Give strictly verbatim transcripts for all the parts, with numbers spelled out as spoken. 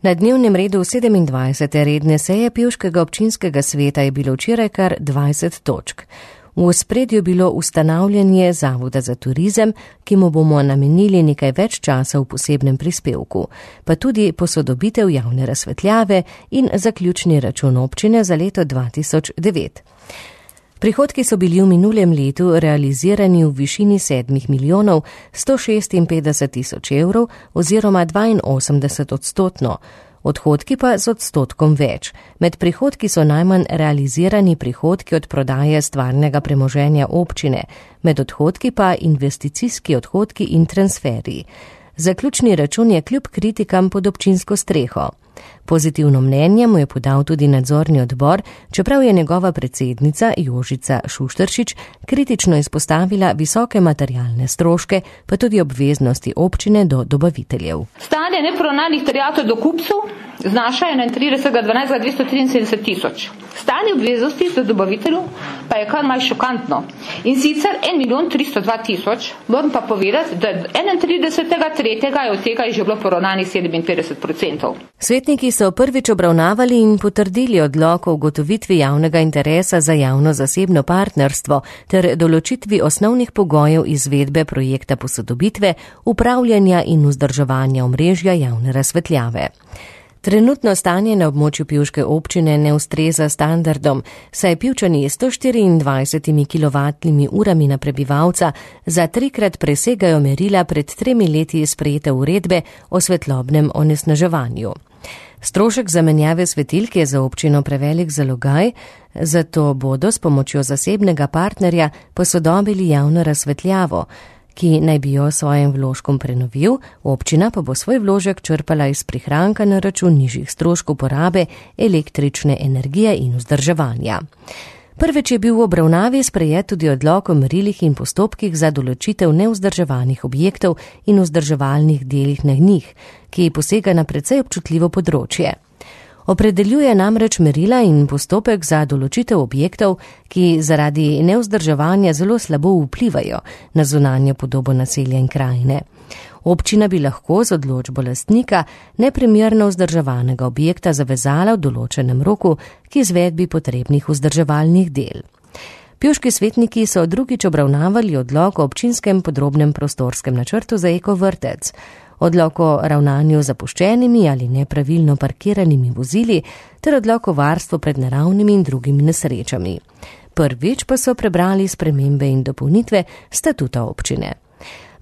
Na dnevnem redu sedemindvajsete redne seje Pivškega občinskega sveta je bilo včeraj kar dvajset točk. V ospredju bilo ustanavljanje Zavoda za turizem, ki mu bomo namenili nekaj več časa v posebnem prispevku, pa tudi posodobitev javne razsvetljave in zaključni račun občine za leto dva tisoč devet. Prihodki so bili v minulem letu realizirani v višini sedmih milijonov sto šestinpetdeset tisoč evrov oziroma dvainosemdeset odstotno, odhodki pa z odstotkom več. Med prihodki so najmanj realizirani prihodki od prodaje stvarnega premoženja občine, med odhodki pa investicijski odhodki in transferji. Zaključni račun je kljub kritikam pod občinsko streho. Pozitivno mnenje mu je podal tudi nadzorni odbor, čeprav je njegova predsednica Jožica Šušteršič kritično izpostavila visoke materialne stroške, pa tudi obveznosti občine do dobaviteljev. Stanje neporavnanih terjatev do kupcev znaša enaintridesetega dvanajstega dvesto triinsedemdeset tisoč. Stanje obveznosti do dobaviteljev pa je kar malo šokantno. In sicer en milijon tristo dva tisoč, moram pa povedati, da enaintridesetega tretjega je od tega je že bilo poravnanih sedeminpetdeset odstotkov. Svetniki so prvič obravnavali in potrdili odlok o ugotovitvi javnega interesa za javno-zasebno partnerstvo ter določitvi osnovnih pogojev izvedbe projekta posodobitve, upravljanja in vzdrževanja omrežja javne razsvetljave. Trenutno stanje na območju Pivške občine ne ustreza standardom, saj Pivčani sto štiriindvajsetimi kilovatnimi urami na prebivalca za trikrat presegajo merila pred tremi leti sprejete uredbe o svetlobnem onesnaževanju. Strošek zamenjave svetilk je za občino prevelik zalogaj, zato bodo s pomočjo zasebnega partnerja posodobili javno razsvetljavo, ki naj bi jo svojim vložkom prenovil, občina pa bo svoj vložek črpala iz prihranka na račun nižjih stroškov porabe električne energije in vzdrževanja. Prvič je bil v obravnavi sprejet tudi odlok o merilih in postopkih za določitev nevzdrževanih objektov in vzdrževalnih delih na njih, ki posega na precej občutljivo področje. Opredeljuje namreč merila in postopek za določitev objektov, ki zaradi nevzdrževanja zelo slabo vplivajo na zunanjo podobo naselja in krajine. Občina bi lahko z odločbo lastnika neprimerno vzdrževanega objekta zavezala v določenem roku k izvedbi potrebnih vzdrževalnih del. Pivški svetniki so drugič obravnavali odlok o občinskem podrobnem prostorskem načrtu za ekovrtec, odlok o ravnanju z zapuščenimi ali nepravilno parkiranimi vozili ter odlok o varstvu pred naravnimi in drugimi nesrečami. Prvič pa so prebrali spremembe in dopolnitve statuta občine.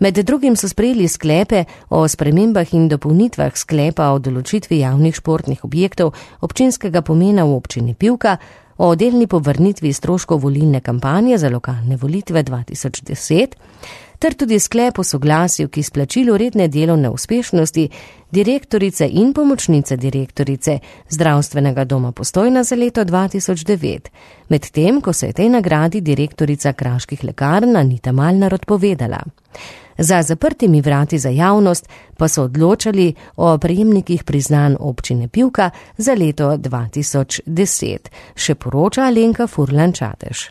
Med drugim so sprejeli sklepe o spremembah in dopolnitvah sklepa o določitvi javnih športnih objektov občinskega pomena v občini Pivka, o delni povrnitvi stroškov volilne kampanje za lokalne volitve dva tisoč deset, ter tudi sklep o soglasju k izplačilu redne delovne uspešnosti direktorice in pomočnice direktorice Zdravstvenega doma Postojna za leto dva tisoč devet, medtem ko se je tej nagradi direktorica Kraških lekarn Anita Malnar odpovedala. Za zaprtimi vrati za javnost pa so odločali o prejemnikih priznanj občine Pivka za leto dva tisoč deset, še poroča Alenka Furlan Čatež.